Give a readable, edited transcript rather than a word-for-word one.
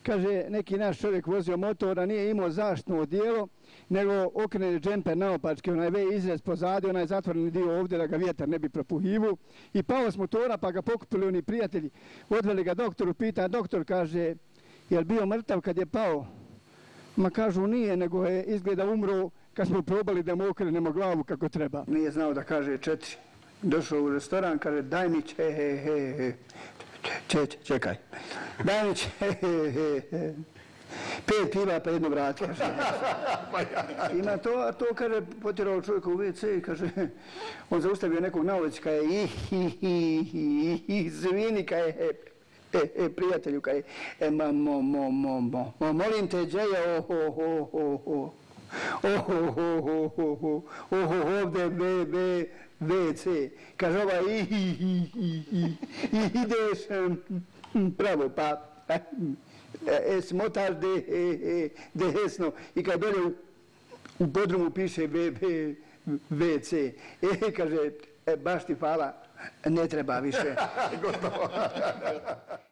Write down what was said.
kaže, neki naš čovjek vozio motor, a nije imao zaštitno odijelo, nego okrene džemper naopačke, onaj V izrez pozadi, onaj zatvoreni dio ovdje da ga vjetar ne bi propuhivu. I pao s motora, pa ga pokupili oni prijatelji, odveli ga doktoru, pita, doktor kaže, je li bio mrtav kad je pao? Ma kažu nije, nego je izgleda umro kad smo probali da mu okrenemo glavu kako treba. Nije znao da kaže 4. Došao u restoran, kaže, daj mi čekaj. Daj mi 5 piva pa jedno vrat, kaže. I na to, kaže, potjerao čovjeka u WC i kaže, on zaustavio nekog na ulici, kaže, izvini, kaže, prijatelju, kaže, molim te, džeja, ovdje WC. Kaže, ideš pravo, pa smotaš desno i kad dolje u podrumu piše WC. Kaže, baš ti hvala, ne treba više.